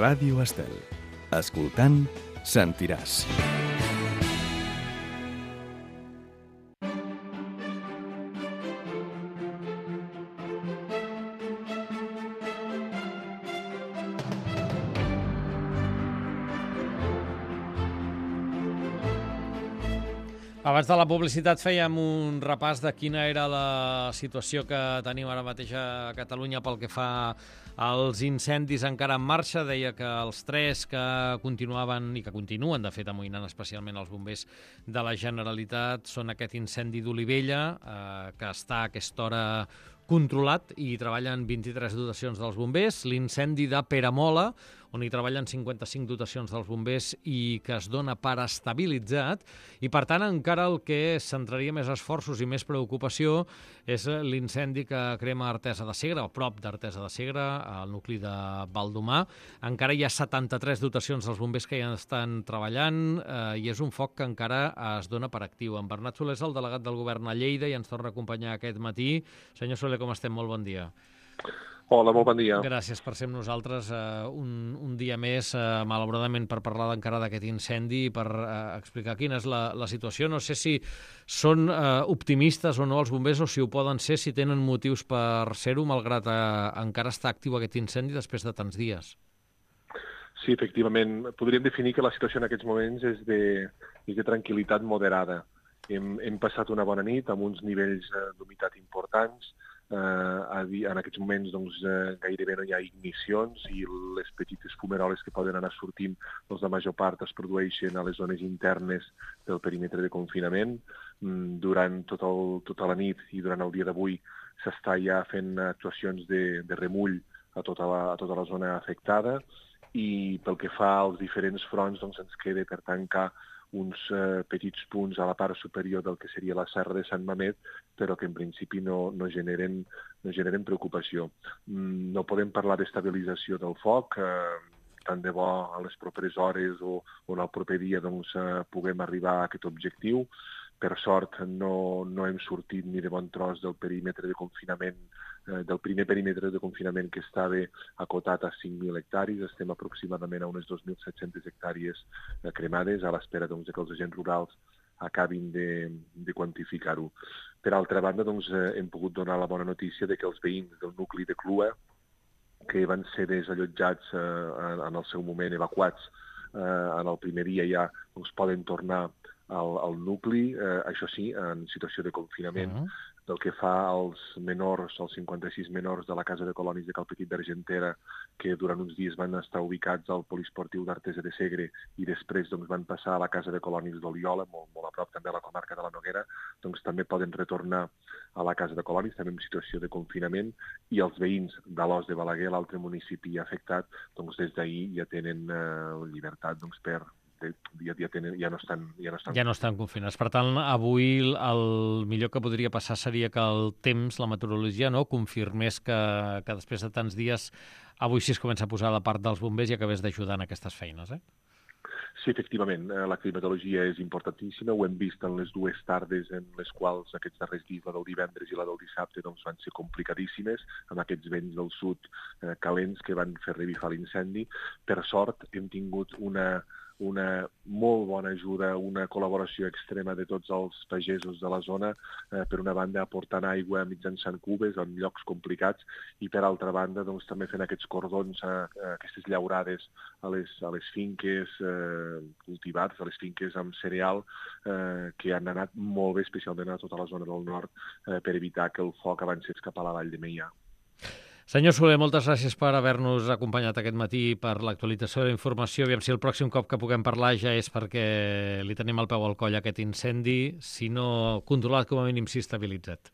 Ràdio Estel. Escoltant, sentiràs. Abans de la publicitat fèiem un repàs de quina era la situació que tenim ara mateix a Catalunya pel que fa als incendis encara en marxa. Deia que els 3 que continuaven i que continuen, de fet, amoïnant especialment els bombers de la Generalitat són aquest incendi d'Olivella, que està a aquesta hora controlat i treballen 23 dotacions dels bombers, l'incendi de Peramola, on hi treballen 55 dotacions dels bombers i que es dona per estabilitzat, i per tant encara el que centraria més esforços i més preocupació és l'incendi que crema Artesa de Segre, a prop d'Artesa de Segre, al nucli de Baldomar. Encara hi ha 73 dotacions dels bombers que ja estan treballant i és un foc que encara es dona per actiu. En Bernat Soler és el delegat del govern a Lleida i ens torna a acompanyar aquest matí. Senyor Soler, com estem? Molt bon dia. Hola, molt bon dia. Gràcies per ser amb nosaltres un dia més, malauradament, per parlar encara d'aquest incendi i per explicar quina és la situació. No sé si són optimistes o no els bombers o si ho poden ser, si tenen motius per ser-ho, malgrat encara està actiu aquest incendi després de tants dies. Sí, efectivament. Podríem definir que la situació en aquests moments és de tranquil·litat moderada. Hem passat una bona nit amb uns nivells d'humitat importants. En aquests moments gairebé no hi ha ignicions i les petites fumeroles que poden anar sortint, la major part es produeixen a les zones internes del perímetre de confinament. Durant tota la nit i durant el dia d'avui s'està ja fent actuacions de remull a tota la zona afectada i pel que fa als diferents fronts ens queda per tancar uns petits punts a la part superior del que seria la serra de Sant Mamet, però que en principi no generen preocupació. No podem parlar d'estabilització del foc, tant de bo a les properes hores o en el proper dia puguem arribar a aquest objectiu. Per sort no hem sortit ni de bon tros del perímetre de confinament, del primer perímetre de confinament que estava acotat a 5.000 hectàrees. Estem aproximadament a unes 2.700 hectàrees cremades, a l'espera que els agents rurals acabin de quantificar-ho. Per altra banda, hem pogut donar la bona notícia de que els veïns del nucli de Clua, que van ser desallotjats en el seu moment, evacuats en el primer dia ja, poden tornar al nucli, això sí, en situació de confinament. Pel que fa als menors, als 56 menors de la Casa de Colonis de Calpetit d'Argentera, que durant uns dies van estar ubicats al poliesportiu d'Artesa de Segre i després van passar a la Casa de Colonis d'Oliola, molt a prop també a la comarca de la Noguera, també poden retornar a la Casa de Colonis, també en situació de confinament, i els veïns d'Alòs de Balaguer, l'altre municipi afectat, des d'ahir ja tenen llibertat ja no estan confinats. Per tant, avui el millor que podria passar seria que el temps, la meteorologia, confirmés que després de tants dies avui sí es comença a posar la part dels bombers i acabés d'ajudar en aquestes feines, Sí, efectivament, la climatologia és importantíssima. Ho hem vist en les dues tardes en les quals aquests darrers dies, la del divendres i la del dissabte, van ser complicadíssimes, amb aquests vents del sud calents que van fer revifar l'incendi. Per sort, hem tingut una molt bona ajuda, una col·laboració extrema de tots els pagesos de la zona, per una banda aportant aigua mitjançant cubes en llocs complicats i per altra banda també fent aquests cordons, aquestes llaurades a les finques cultivats, a les finques amb cereal, que han anat molt bé, especialment a tota la zona del nord, per evitar que el foc avanci cap a la vall de Meià. Senyor Soler, moltes gràcies per haver-nos acompanyat aquest matí, per l'actualització de la informació. Aviam si el pròxim cop que puguem parlar ja és perquè li tenim al peu al coll aquest incendi, si no controlat, com a mínim sí estabilitzat.